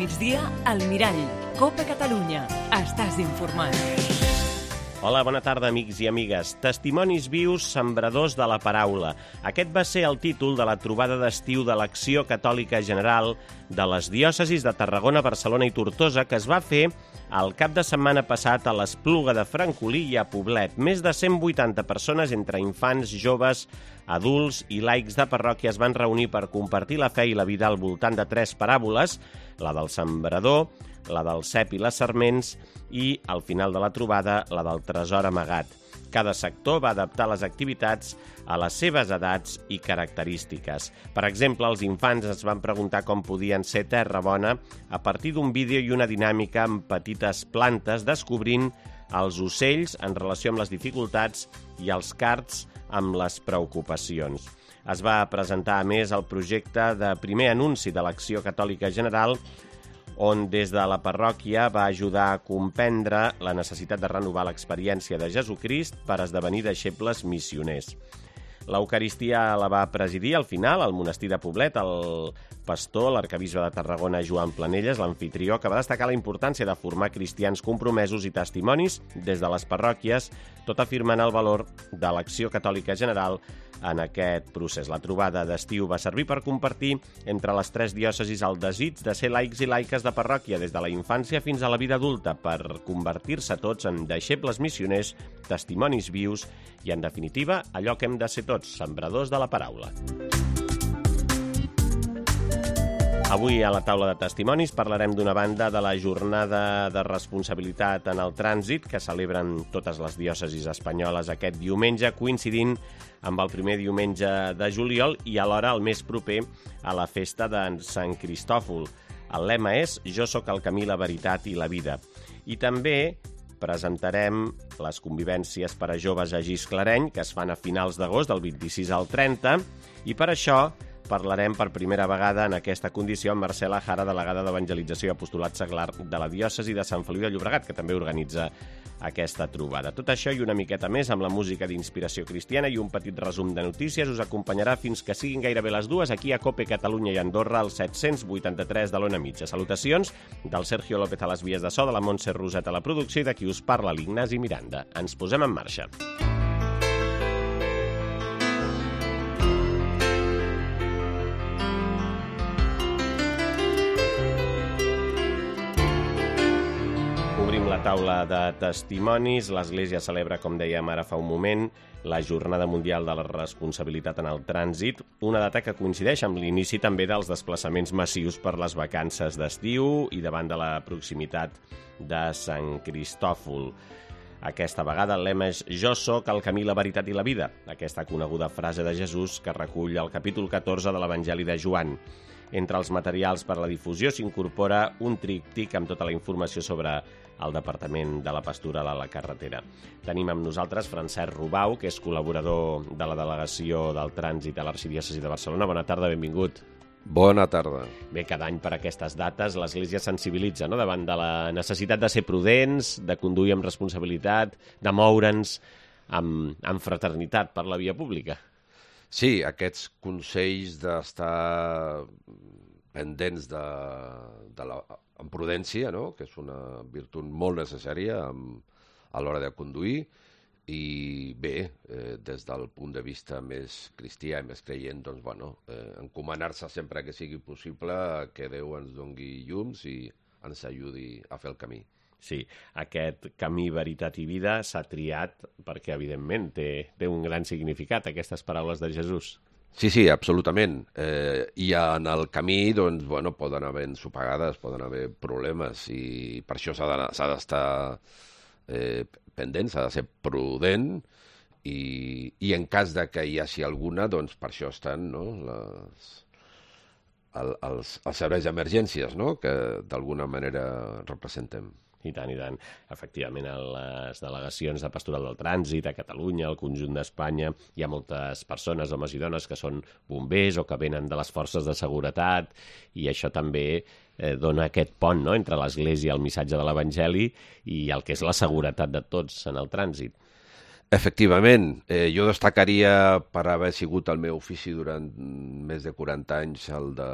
migdia, al Mirall. Copa Catalunya. Estàs informat. Hola, bona tarda, amics i amigues. Testimonis vius, sembradors de la paraula. Aquest va ser el títol de la trobada d'estiu de l'Acció Catòlica General de les diòcesis de Tarragona, Barcelona i Tortosa, que es va fer el cap de setmana passat a l'Espluga de Francolí i a Poblet. Més de 180 persones, entre infants, joves, adults i laics de parròquia, es van reunir per compartir la fe i la vida al voltant de 3 paràboles, la del sembrador, la del cep i les serments i, al final de la trobada, la del tresor amagat. Cada sector va adaptar les activitats a les seves edats i característiques. Per exemple, els infants es van preguntar com podien ser terra bona a partir d'un vídeo i una dinàmica amb petites plantes, descobrint els ocells en relació amb les dificultats i els cards amb les preocupacions. Es va presentar, a més, el projecte de primer anunci de l'Acció Catòlica General, on des de la parròquia va ajudar a comprendre la necessitat de renovar l'experiència de Jesucrist per esdevenir deixebles missioners. L'Eucaristia la va presidir al final al monestir de Poblet el pastor, l'arquebisbe de Tarragona, Joan Planelles, l'amfitrió, que va destacar la importància de formar cristians compromesos i testimonis des de les parròquies, tot afirmant el valor de l'Acció Catòlica General en aquest procés. La trobada d'estiu va servir per compartir entre les 3 diòcesis el desig de ser laics i laiques de parròquia des de la infància fins a la vida adulta per convertir-se tots en deixebles missioners, testimonis vius i, en definitiva, allò que hem de ser tots, sembradors de la paraula. Avui a la taula de testimonis parlarem d'una banda de la jornada de responsabilitat en el trànsit que celebren totes les diòcesis espanyoles aquest diumenge, coincidint amb el primer diumenge de juliol i alhora el més proper a la festa de Sant Cristòfol. El lema és «Jo sóc el camí, la veritat i la vida». I també presentarem les convivències per a joves a Gisclareny, que es fan a finals d'agost, del 26 al 30, i per això parlarem per primera vegada en aquesta condició amb Marcela Jara, delegada d'Evangelització i Apostolat Seglar de la diòcesi de Sant Feliu de Llobregat, que també organitza aquesta trobada. Tot això i una miqueta més amb la música d'inspiració cristiana i un petit resum de notícies us acompanyarà fins que siguin gairebé les 2 aquí a Cope Catalunya i Andorra, al 783 de l'Ona Mitja. Salutacions del Sergio López a les vies de so, de la Montse Roset a la producció i de qui us parla, l'Ignasi Miranda. Ens posem en marxa. La taula de testimonis. L'Església celebra, com dèiem ara fa un moment, la Jornada Mundial de la Responsabilitat en el Trànsit, una data que coincideix amb l'inici també dels desplaçaments massius per les vacances d'estiu i davant de la proximitat de Sant Cristòfol. Aquesta vegada el lema és «Jo sóc el camí, la veritat i la vida», aquesta coneguda frase de Jesús que recull el capítol 14 de l'Evangeli de Joan. Entre els materials per a la difusió s'incorpora un tríptic amb tota la informació sobre el Departament de la Pastoral a la carretera. Tenim amb nosaltres Francesc Rubau, que és col·laborador de la Delegació del Trànsit a l'Arxidiòcesi de Barcelona. Bona tarda, benvingut. Bona tarda. Bé, cada any per aquestes dates l'Església sensibilitza, no?, davant de la necessitat de ser prudents, de conduir amb responsabilitat, de moure'ns amb fraternitat per la via pública. Sí, aquests consells d'estar pendents amb prudència, no?, que és una virtut molt necessària a l'hora de conduir, i bé, des del punt de vista més cristià i més creient, doncs, bueno, encomanar-se sempre que sigui possible que Déu ens doni llums i ens ajudi a fer el camí. Sí, aquest camí, veritat i vida s'ha triat perquè, evidentment, té un gran significat, aquestes paraules de Jesús. Sí, absolutament. I en el camí, doncs, bueno, poden haver ensopegades, poden haver problemes, i per això s'ha d'estar pendent, s'ha de ser prudent, i en cas de que hi hagi alguna, doncs per això estan, no?, els serveis d'emergències, no?, que d'alguna manera representem. I tant, i tant. Efectivament, a les delegacions de Pastoral del Trànsit a Catalunya, al conjunt d'Espanya, hi ha moltes persones, homes i dones, que són bombers o que venen de les forces de seguretat, i això també dona aquest pont, no?, entre l'Església, el missatge de l'Evangeli, i el que és la seguretat de tots en el trànsit. Efectivament, jo destacaria per haver sigut el meu ofici durant més de 40 anys el de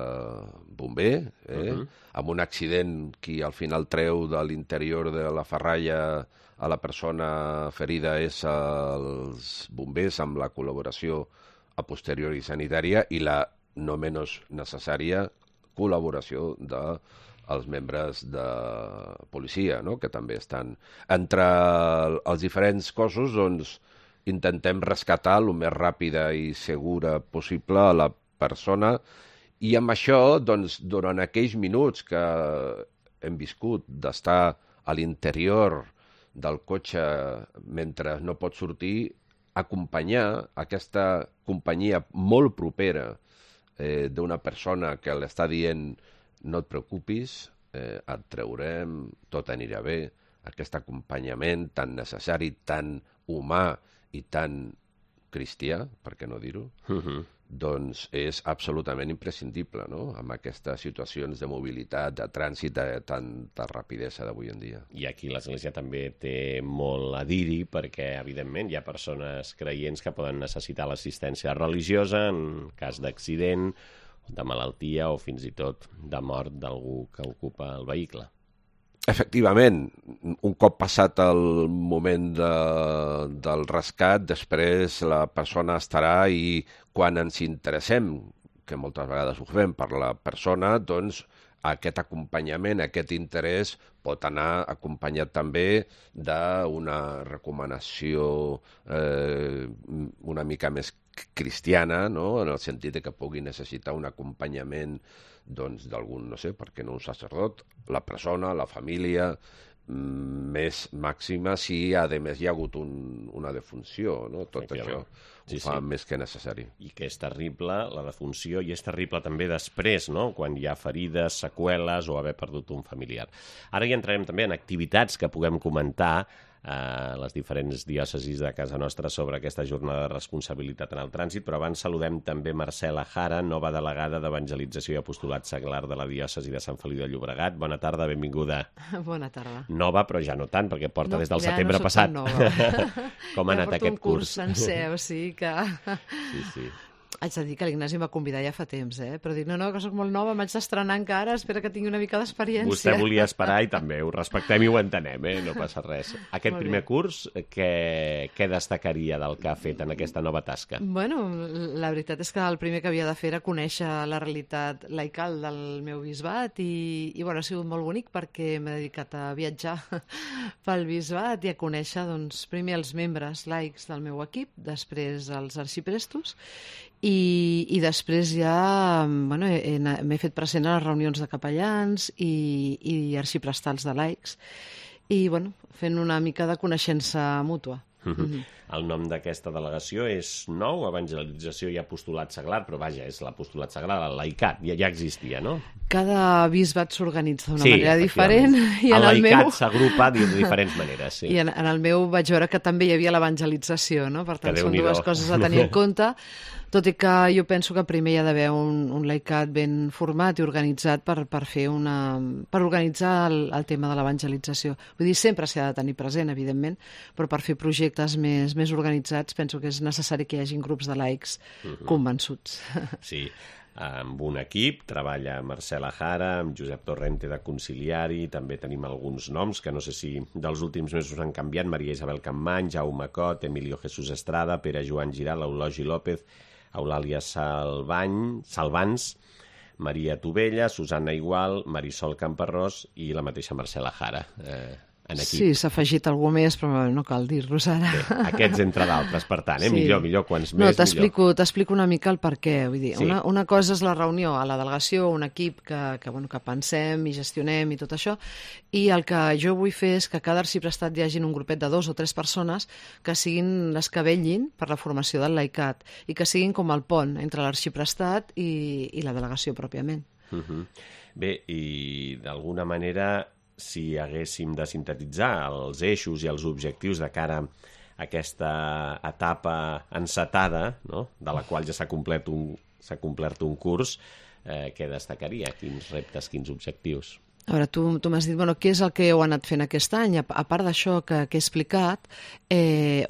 bomber, amb un accident que al final treu de l'interior de la ferralla a la persona ferida és els bombers amb la col·laboració a posteriori sanitària i la no menys necessària col·laboració dels membres de policia, no? Que també estan. Entre els diferents cossos, doncs, intentem rescatar el més ràpida i segura possible a la persona i amb això, doncs, durant aquells minuts que hem viscut d'estar a l'interior del cotxe mentre no pot sortir, acompanyar aquesta companyia molt propera d'una persona que l'està dient no et preocupis, et traurem, tot anirà bé, aquest acompanyament tan necessari, tan humà i tan cristià, per què no dir-ho, doncs és absolutament imprescindible, no?, amb aquestes situacions de mobilitat, de trànsit, de tanta rapidesa d'avui en dia. I aquí l'Església també té molt a dir-hi perquè, evidentment, hi ha persones creients que poden necessitar l'assistència religiosa en cas d'accident, de malaltia o fins i tot de mort d'algú que ocupa el vehicle. Efectivament, un cop passat el moment del rescat, després la persona estarà i quan ens interessem, que moltes vegades ho fem per la persona, doncs aquest acompanyament, aquest interès pot anar acompanyat també d'una recomanació una mica més cristiana, no?, en el sentit que pugui necessitar un acompanyament doncs d'algun, no sé, per què no un sacerdot, la persona, la família, més màxima si, a més, hi ha hagut una defunció, no? Tot això ho fa més que necessari. I que és terrible, la defunció, i és terrible també després, no?, quan hi ha ferides, seqüeles o haver perdut un familiar. Ara ja entrarem també en activitats que puguem comentar a les diferents diòcesis de casa nostra sobre aquesta jornada de responsabilitat en el trànsit, però abans saludem també Marcela Jara, nova delegada d'Evangelització i Apostolat Seglar de la diòcesi de Sant Feliu de Llobregat. Bona tarda, benvinguda. Bona tarda. Nova, però ja no tant, perquè porta des del setembre passat. Com ha anat aquest curs? Ja porto un curs sencer, o sigui que... Sí. Haig de dir que l'Ignasi m'ha convidat ja fa temps, però dic, no, que soc molt nova, m'haig d'estrenar encara, espera que tingui una mica d'experiència. Vostè volia esperar i també ho respectem i ho entenem, no passa res. Aquest primer curs, què destacaria del que ha fet en aquesta nova tasca? Bueno, la veritat és que el primer que havia de fer era conèixer la realitat laical del meu bisbat i bueno, ha sigut molt bonic perquè m'he dedicat a viatjar pel bisbat i a conèixer, doncs, primer els membres laics del meu equip, després els arxiprestos i després ja bueno, m'he fet present a les reunions de capellans i arxiprestals de laics i bueno, fent una mica de coneixença mútua. El nom d'aquesta delegació és nou, Evangelització i Apostolat Seglar, però vaja, és l'Apostolat Seglar, el laicat, ja existia, no? Cada bisbat s'organitza d'una manera diferent. I el laicat s'agrupa de diferents maneres, sí. I en el meu vaig veure que també hi havia l'evangelització, no? Per tant, són dues coses a tenir en compte, tot i que jo penso que primer hi ha d'haver un laicat ben format i organitzat per organitzar el tema de l'evangelització. Vull dir, sempre s'ha de tenir present, evidentment, però per fer projectes més organitzats penso que és necessari que hi hagin grups de laics convençuts. Sí, amb un equip treballa Marcela Jara, amb Josep Torrente de conciliari, també tenim alguns noms que no sé si dels últims mesos han canviat, Maria Isabel Campmany, Jaume Cot, Emilio Jesús Estrada, Pere Joan Giral, Eulogi López, Eulàlia Salvans, Maria Tovella, Susana Igual, Marisol Camparrós i la mateixa Marcela Jara. Sí, s'ha afegit algú més, però no cal dir-los ara. Bé, aquests entre d'altres, per tant, millor, quants més, millor. T'explico una mica el per què. Vull dir, una cosa és la reunió a la delegació, un equip que pensem i gestionem i tot això, i el que jo vull fer és que a cada arxiprestat hi hagi un grupet de 2 o 3 persones que siguin les que vetllin per la formació del laicat i que siguin com el pont entre l'arxiprestat i la delegació pròpiament. Bé, i d'alguna manera, si haguéssim de sintetitzar els eixos i els objectius de cara a aquesta etapa encetada, no?, de la qual ja s'ha complert un curs, què destacaria? Quins reptes, quins objectius? A veure, tu m'has dit, què és el que heu anat fent aquest any? A part d'això que he explicat,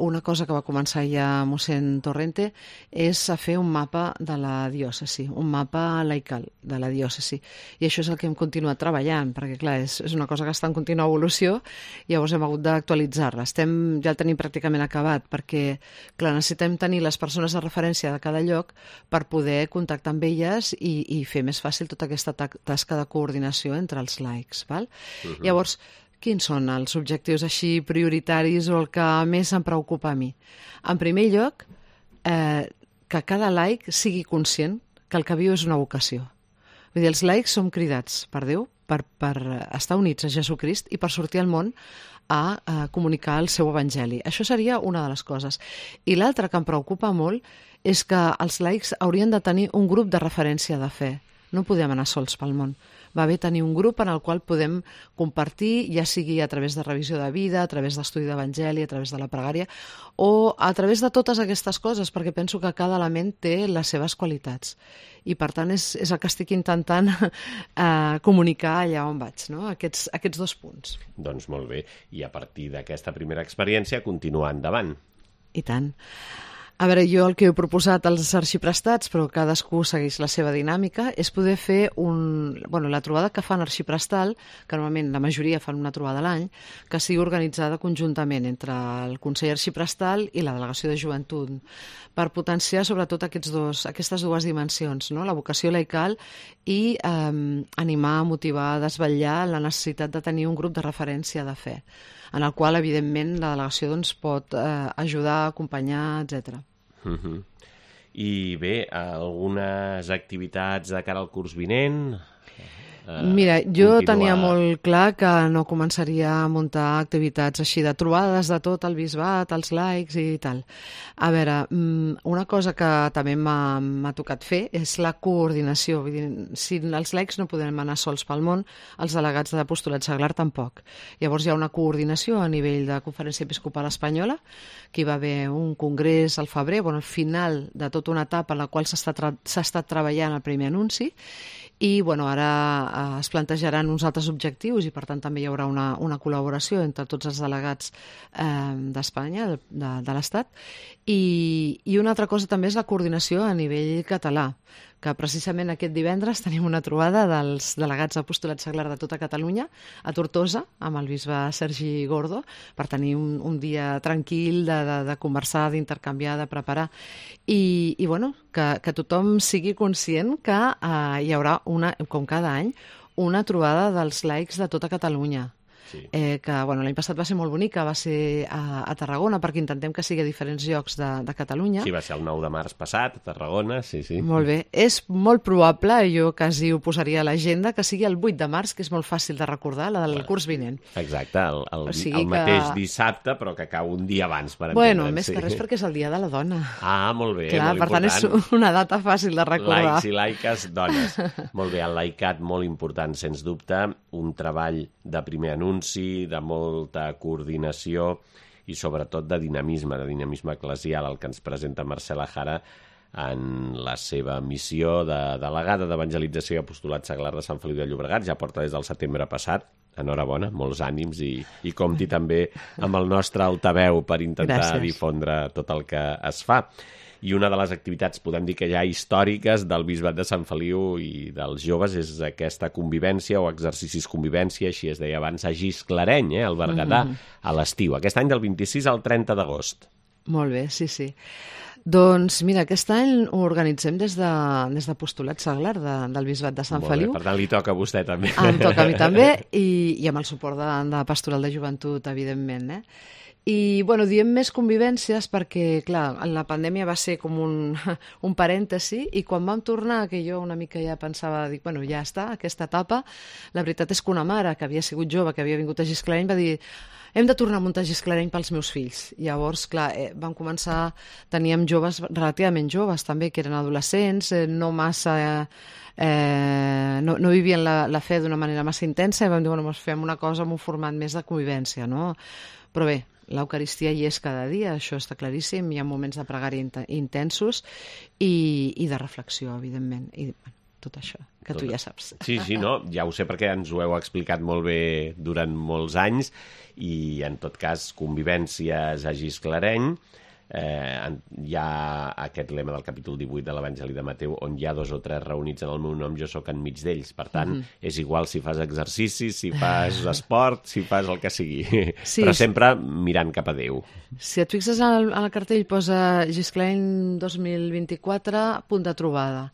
una cosa que va començar ja mossèn Torrente és a fer un mapa de la diòcesi, un mapa laical de la diòcesi. I això és el que hem continuat treballant, perquè, clar, és una cosa que està en contínua evolució, i llavors hem hagut d'actualitzar-la. Ja el tenim pràcticament acabat, perquè, clar, necessitem tenir les persones de referència de cada lloc per poder contactar amb elles i fer més fàcil tota aquesta tasca de coordinació entre els laics, val? Llavors, quins són els objectius així prioritaris o el que més em preocupa a mi? En primer lloc, que cada laic sigui conscient que el que viu és una vocació. Vull dir, els laics som cridats per Déu per estar units a Jesucrist i per sortir al món a comunicar el seu evangeli. Això seria una de les coses. I l'altra que em preocupa molt és que els laics haurien de tenir un grup de referència de fe. No podem anar sols pel món. Va bé tenir un grup en el qual podem compartir, ja sigui a través de revisió de vida, a través d'estudi d'evangeli, a través de la pregària, o a través de totes aquestes coses, perquè penso que cada element té les seves qualitats. I, per tant, és el que estic intentant comunicar allà on vaig, no? Aquests dos punts. Doncs molt bé. I a partir d'aquesta primera experiència, continuar endavant. I tant. A veure, jo el que he proposat als arxiprestats, però cadascú segueix la seva dinàmica, és poder fer la trobada que fan arxiprestal, que normalment la majoria fan una trobada a l'any, que sigui organitzada conjuntament entre el Consell Arxiprestal i la Delegació de Joventut, per potenciar sobretot aquestes dues dimensions, no? La vocació laical i animar, motivar, desvetllar la necessitat de tenir un grup de referència de fe, en el qual, evidentment, la delegació pot ajudar, acompanyar, etc. I bé, algunes activitats de cara al curs vinent? Mira, jo tenia molt clar que no començaria a muntar activitats així de trobades de tot el bisbat, els laics i tal. A veure, una cosa que també m'ha tocat fer és la coordinació. Vull dir, si els laics no podem anar sols pel món, els delegats de l'apostolat seglar tampoc. Llavors hi ha una coordinació a nivell de Conferència Episcopal Espanyola, que hi va haver un congrés al febrer, al final de tota una etapa en la qual s'ha estat treballant el primer anunci, i ara es plantejaran uns altres objectius i per tant també hi haurà una col·laboració entre tots els delegats d'Espanya, de l'Estat, i una altra cosa també és la coordinació a nivell català, que precisament aquest divendres tenim una trobada dels delegats d'apostolat seglar de tota Catalunya a Tortosa, amb el bisbe Sergi Gordo, per tenir un dia tranquil de conversar, d'intercanviar, de preparar. I que tothom sigui conscient que hi haurà, com cada any, una trobada dels laics de tota Catalunya. Sí. Que l'any passat va ser molt bonica, va ser a Tarragona, perquè intentem que sigui a diferents llocs de Catalunya. Sí, va ser el 9 de març passat, a Tarragona, sí. Molt bé. És molt probable, jo quasi ho posaria a l'agenda, que sigui el 8 de març, que és molt fàcil de recordar, la del curs vinent. Exacte, el mateix dissabte, però que cau un dia abans, per entendre'ns. Més que res perquè és el dia de la dona. Ah, molt bé, clar, molt important. Per tant, és una data fàcil de recordar. Laics i laiques, dones. Molt bé, el laicat, molt important, sens dubte, un treball de primer anunci, de molta coordinació i sobretot de dinamisme eclesial, el que ens presenta Marcela Jara en la seva missió de delegada d'evangelització i apostolat seglar de Sant Feliu de Llobregat. Ja porta des del setembre passat. Enhorabona, molts ànims i compti també amb el nostre altaveu per intentar difondre tot el que es fa. I una de les activitats, podem dir que ja històriques del Bisbat de Sant Feliu i dels joves és aquesta convivència o exercicis convivència, així es deia abans, a Gisclareny, al Berguedà, a l'estiu. Aquest any del 26 al 30 d'agost. Molt bé, sí. Doncs mira, aquest any ho organitzem des d'Apostolat Seglar del Bisbat de Sant Feliu. Per tant, li toca a vostè també. Em toca a mi també i amb el suport de Pastoral de Joventut, evidentment, I, diem més convivències perquè, clar, la pandèmia va ser com un parèntesi i quan vam tornar, que jo una mica ja pensava, ja està, aquesta etapa, la veritat és que una mare que havia sigut jove, que havia vingut a Gisclareny, va dir hem de tornar a muntar Gisclareny pels meus fills. Llavors, clar, vam començar, teníem joves relativament joves també, que eren adolescents, no massa... no vivien la fe d'una manera massa intensa i vam dir, fem una cosa amb un format més de convivència, no? Però bé, l'Eucaristia hi és cada dia, això està claríssim, hi ha moments de pregària intensos i de reflexió, evidentment. I tot això, que tu ja saps. Sí, no, ja ho sé perquè ens ho heu explicat molt bé durant molts anys i, en tot cas, convivències a Gisclareny. Hi ha aquest lema del capítol 18 de l'Evangeli de Mateu, on hi ha 2 o 3 reunits en el meu nom, jo sóc enmig d'ells. Per tant, és igual si fas exercici, si fas esport, si fas el que sigui. Sí, però sempre mirant cap a Déu. Si et fixes al cartell posa Gisclareny 2024, punt de trobada.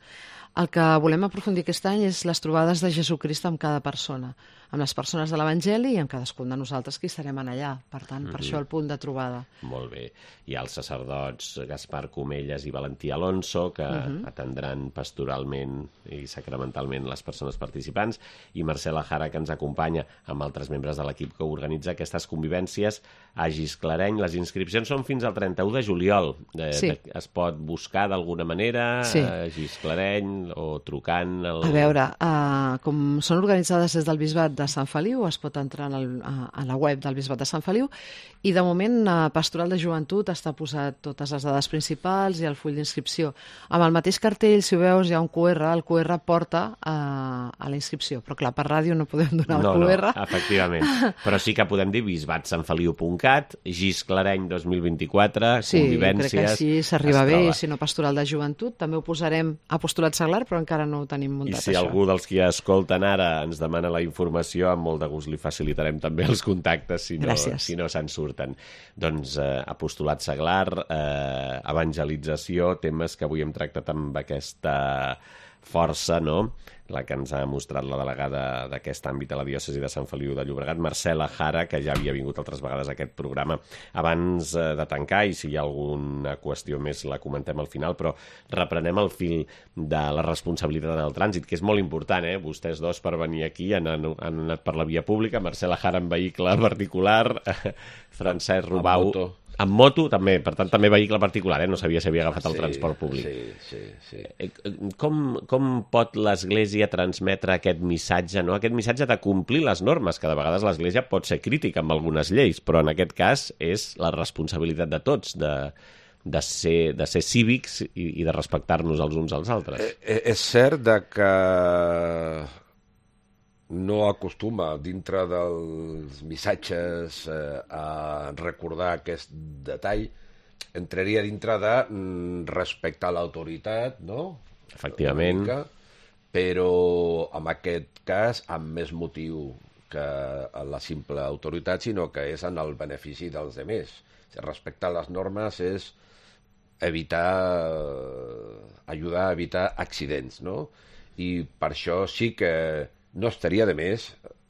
El que volem aprofundir aquest any és les trobades de Jesucrist amb cada persona, amb les persones de l'Evangeli i amb cadascun de nosaltres que hi estarem allà. Per tant, per això el punt de trobada. Molt bé. Hi ha els sacerdots Gaspar Comelles i Valentí Alonso, que atendran pastoralment i sacramentalment les persones participants, i Marcela Jara, que ens acompanya amb altres membres de l'equip que organitza aquestes convivències a Gisclareny. Les inscripcions són fins al 31 de juliol. Es pot buscar d'alguna manera a Gisclareny o trucant... A veure, com són organitzades des del Bisbat de Sant Feliu, es pot entrar a la web del Bisbat de Sant Feliu i, de moment, Pastoral de Joventut està posat totes les dades principals i el full d'inscripció. Amb el mateix cartell, si ho veus, hi ha un QR, el QR porta a la inscripció, però clar, per ràdio no podem donar el QR. No, efectivament. Però sí que podem dir bisbatsantfeliu.cat, Gisclareny 2024, convivències... Sí, crec que així s'arriba bé, i si no, Pastoral de Joventut. També ho posarem a Postulat Seglar, però encara no ho tenim muntat, això. I si algú dels que escolten ara ens demana la informació, amb molt de gust li facilitarem també els contactes, si no se'n surten. Doncs Apostolat Seglar, evangelització, temes que avui hem tractat amb aquesta força, no?, la que ens ha mostrat la delegada d'aquest àmbit a la diòcesi de Sant Feliu de Llobregat, Marcela Jara, que ja havia vingut altres vegades a aquest programa. Abans de tancar, i si hi ha alguna qüestió més la comentem al final, però reprenem el fil de la responsabilitat en el trànsit, que és molt important, Vostès dos per venir aquí han anat per la via pública, Marcela Jara en vehicle particular, Francesc Rubau... Amb moto, també, per tant, també vehicle particular, no sabia si havia agafat el transport públic. Sí. Com pot l'Església transmetre aquest missatge, no? Aquest missatge de complir les normes, que de vegades l'Església pot ser crítica amb algunes lleis, però en aquest cas és la responsabilitat de tots, de ser cívics i de respectar-nos els uns als altres. És cert que no acostuma, dintre dels missatges, a recordar aquest detall. Entraria dintre de respectar l'autoritat, no? Efectivament. Però, en aquest cas, amb més motiu que la simple autoritat, sinó que és en el benefici dels altres. Respectar les normes és ajudar a evitar accidents, no? I per això sí que no estaria de més,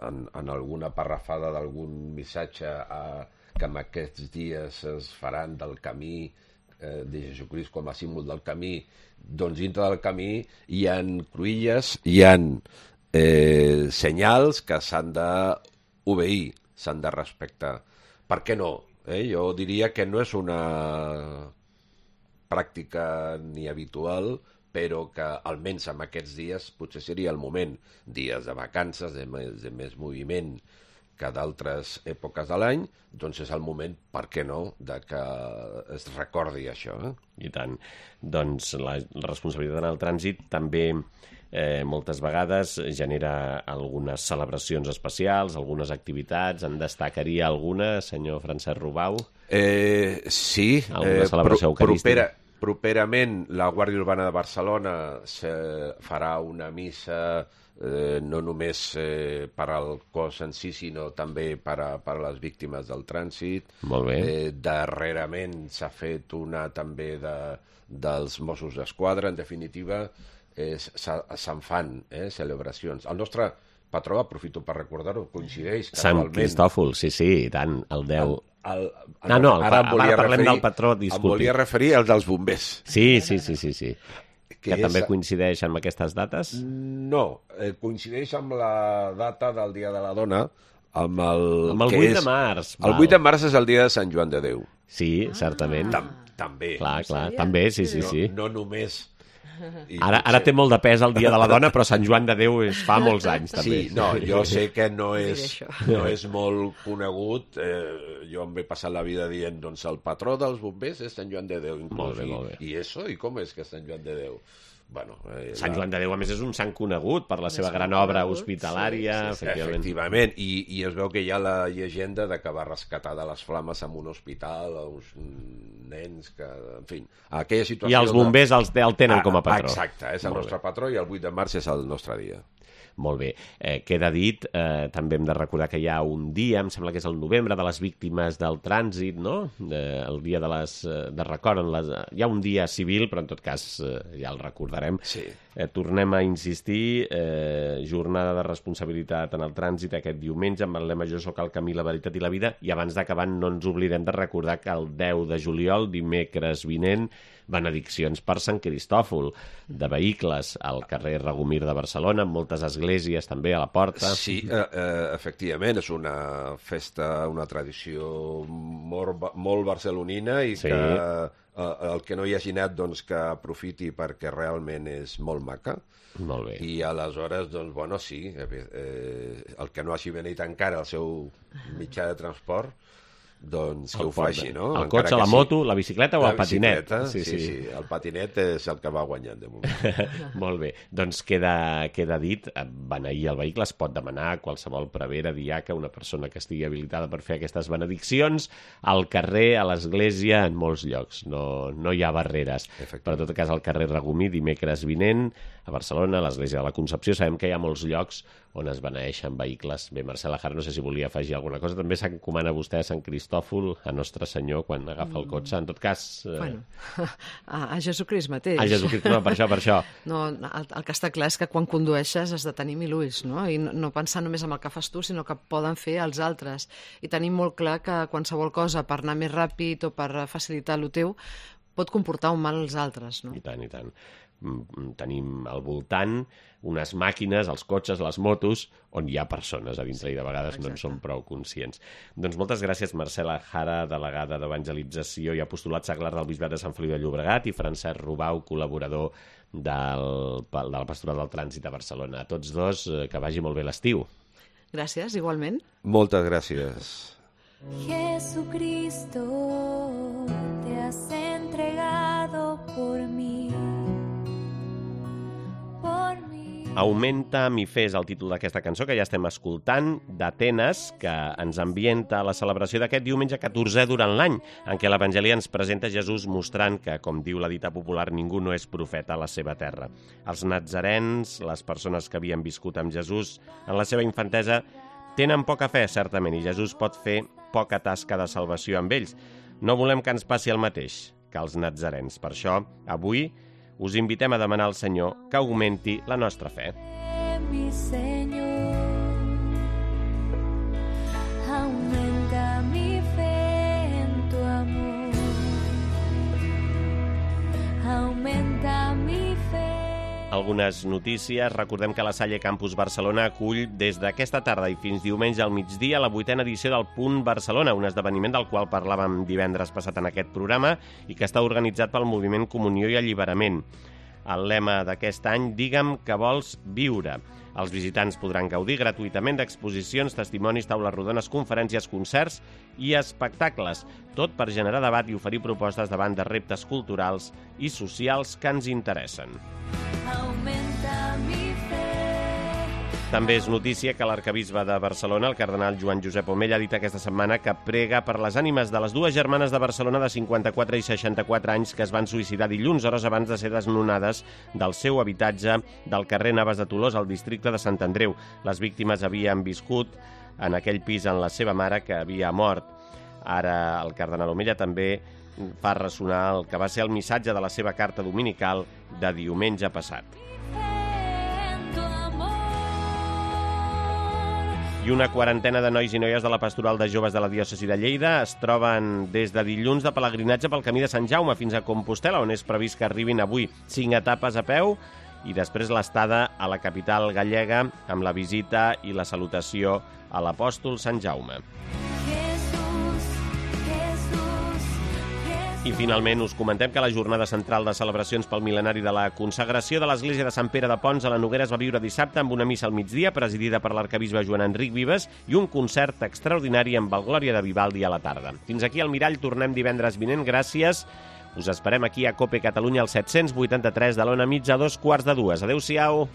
en alguna parrafada d'algun missatge que en aquests dies es faran del camí de Jesucrist com a símbol del camí, doncs dintre del camí hi ha cruïlles, hi ha senyals que s'han d'obeir, s'han de respectar. Per què no? Jo diria que no és una pràctica ni habitual, però que almenys en aquests dies potser seria el moment, dies de vacances, de més moviment que d'altres èpoques de l'any, doncs és el moment, per què no, de que es recordi això. I tant. Doncs la responsabilitat en el trànsit també moltes vegades genera algunes celebracions especials, algunes activitats. En destacaria alguna, senyor Francesc Rubau? Sí. Alguna celebració eucarística? Properament, la Guàrdia Urbana de Barcelona farà una missa no només per al cos en si, sinó també per a les víctimes del trànsit. Molt bé. Darrerament s'ha fet una també dels Mossos d'Esquadra. En definitiva, se'n fan celebracions. El nostre patró, aprofito per recordar-ho, coincideix Sant Cristòfol, sí, i tant, el 10... Ara parlem del patró, disculpi. Em volia referir al dels bombers. Sí. Que també coincideix amb aquestes dates? No, coincideix amb la data del Dia de la Dona, amb el 8 de març. El 8 de març és el dia de Sant Joan de Déu. Sí, certament. També. Clar, també, sí. No només... Ara té molt de pes el Dia de la Dona, però Sant Joan de Déu es fa molts anys, també. Sí, jo sé que no és molt conegut. Jo em he passat la vida dient, doncs el patró dels bombers és Sant Joan de Déu. Molt bé. I com és que és Sant Joan de Déu? Sant Joan de Déu, a més, és un sant conegut per la seva gran obra hospitalària. Efectivament, i es veu que hi ha la llegenda de que va rescatar de les flames en un hospital a uns nens que, en fi, aquella situació... I els bombers el tenen com a patró. Exacte, és el nostre patró i el 8 de març és el nostre dia. Molt bé. Queda dit, també hem de recordar que hi ha un dia, em sembla que és el novembre, de les víctimes del trànsit, no? El dia de record. Hi ha un dia civil, però en tot cas ja el recordarem. Sí. Tornem a insistir, jornada de responsabilitat en el trànsit aquest diumenge amb el lema Jo soc el camí, la veritat i la vida, i abans d'acabar no ens oblidem de recordar que el 10 de juliol, dimecres vinent, benediccions per Sant Cristòfol, de vehicles al carrer Regomir de Barcelona, amb moltes esglésies també a la porta. Sí, efectivament, és una festa, una tradició molt barcelonina i que el que no hi hagi anat, doncs, que aprofiti perquè realment és molt maca. Molt bé. I aleshores, doncs, bueno, sí, el que no hagi venit encara al seu mitjà de transport, doncs que ho faci, no? El cotxe, la moto, la bicicleta o el patinet? Sí, el patinet és el que va guanyant de moment. Molt bé, doncs queda dit, beneir el vehicle es pot demanar a qualsevol prevere, diaca, una persona que estigui habilitada per fer aquestes benediccions, al carrer, a l'església, en molts llocs, no hi ha barreres. Per tot cas, al carrer Regomir, dimecres vinent, a Barcelona, a l'església de la Concepció, sabem que hi ha molts llocs on es beneeixen vehicles. Bé, Marcela Jara, no sé si volia afegir alguna cosa. També s'encomana vostè a Sant Cristòfol, a Nostre Senyor, quan agafa el cotxe. En tot cas... Bueno, a Jesucrist mateix. A Jesucrist, no, per això. No, el que està clar és que quan condueixes has de tenir 1000 ulls, no? I no pensar només en el que fas tu, sinó que poden fer els altres. I tenim molt clar que qualsevol cosa per anar més ràpid o per facilitar el teu pot comportar un mal als altres, no? I tant, i tant. Tenim al voltant unes màquines, els cotxes, les motos, on hi ha persones a dintre i de vegades no en som prou conscients. Doncs moltes gràcies, Marcela Jara, delegada d'Evangelització i Apostolat Seglar del Bisbat de Sant Feliu de Llobregat, i Francesc Rubau, col·laborador de la Pastoral del Trànsit a Barcelona. A tots dos, que vagi molt bé l'estiu. Gràcies, igualment. Moltes gràcies. Jesucristo, te has entregado por mí. Augmenta mi fe és el títol d'aquesta cançó que ja estem escoltant, d'Atenes, que ens ambienta a la celebració d'aquest diumenge 14è durant l'any, en què l'Evangeli ens presenta Jesús mostrant que, com diu la dita popular, ningú no és profeta a la seva terra. Els natzarens, les persones que havien viscut amb Jesús en la seva infantesa, tenen poca fe, certament, i Jesús pot fer poca tasca de salvació amb ells. No volem que ens passi el mateix que els natzarens. Per això, avui, us invitem a demanar al Senyor que augmenti la nostra fe. Mi Señor, aumenta mi fe en tu amor, aumenta mi fe. Algunes notícies. Recordem que la Salle Campus Barcelona acull des d'aquesta tarda i fins diumenge al migdia la 8a edició del Punt Barcelona, un esdeveniment del qual parlàvem divendres passat en aquest programa i que està organitzat pel Moviment Comunió i Alliberament. El lema d'aquest any, digue'm que vols viure. Els visitants podran gaudir gratuïtament d'exposicions, testimonis, taules rodones, conferències, concerts i espectacles, tot per generar debat i oferir propostes davant de reptes culturals i socials que ens interessen. Aumenta mi fe. També és notícia que l'arquebisbe de Barcelona, el cardenal Joan Josep Omella, ha dit aquesta setmana que prega per les ànimes de les dues germanes de Barcelona de 54 i 64 anys que es van suïcidar dilluns, hores abans de ser desnonades del seu habitatge del carrer Navas de Tolosa, al districte de Sant Andreu. Les víctimes havien viscut en aquell pis amb la seva mare, que havia mort. Ara el cardenal Omella també fa ressonar el que va ser el missatge de la seva carta dominical de diumenge passat. I una quarantena de nois i noies de la Pastoral de Joves de la Diòcesi de Lleida es troben des de dilluns de pelegrinatge pel camí de Sant Jaume fins a Compostel·la, on és previst que arribin avui 5 etapes a peu i després l'estada a la capital gallega amb la visita i la salutació a l'apòstol Sant Jaume. I finalment us comentem que la jornada central de celebracions pel mil·lenari de la consagració de l'església de Sant Pere de Pons a la Noguera es va viure dissabte amb una missa al migdia presidida per l'arquebisbe Joan Enric Vives i un concert extraordinari amb el Glòria de Vivaldi a la tarda. Fins aquí al Mirall, tornem divendres vinent. Gràcies, Us esperem aquí a COPE Catalunya al 783 de l'Ona Mitja a 2:15. Adéu-siau.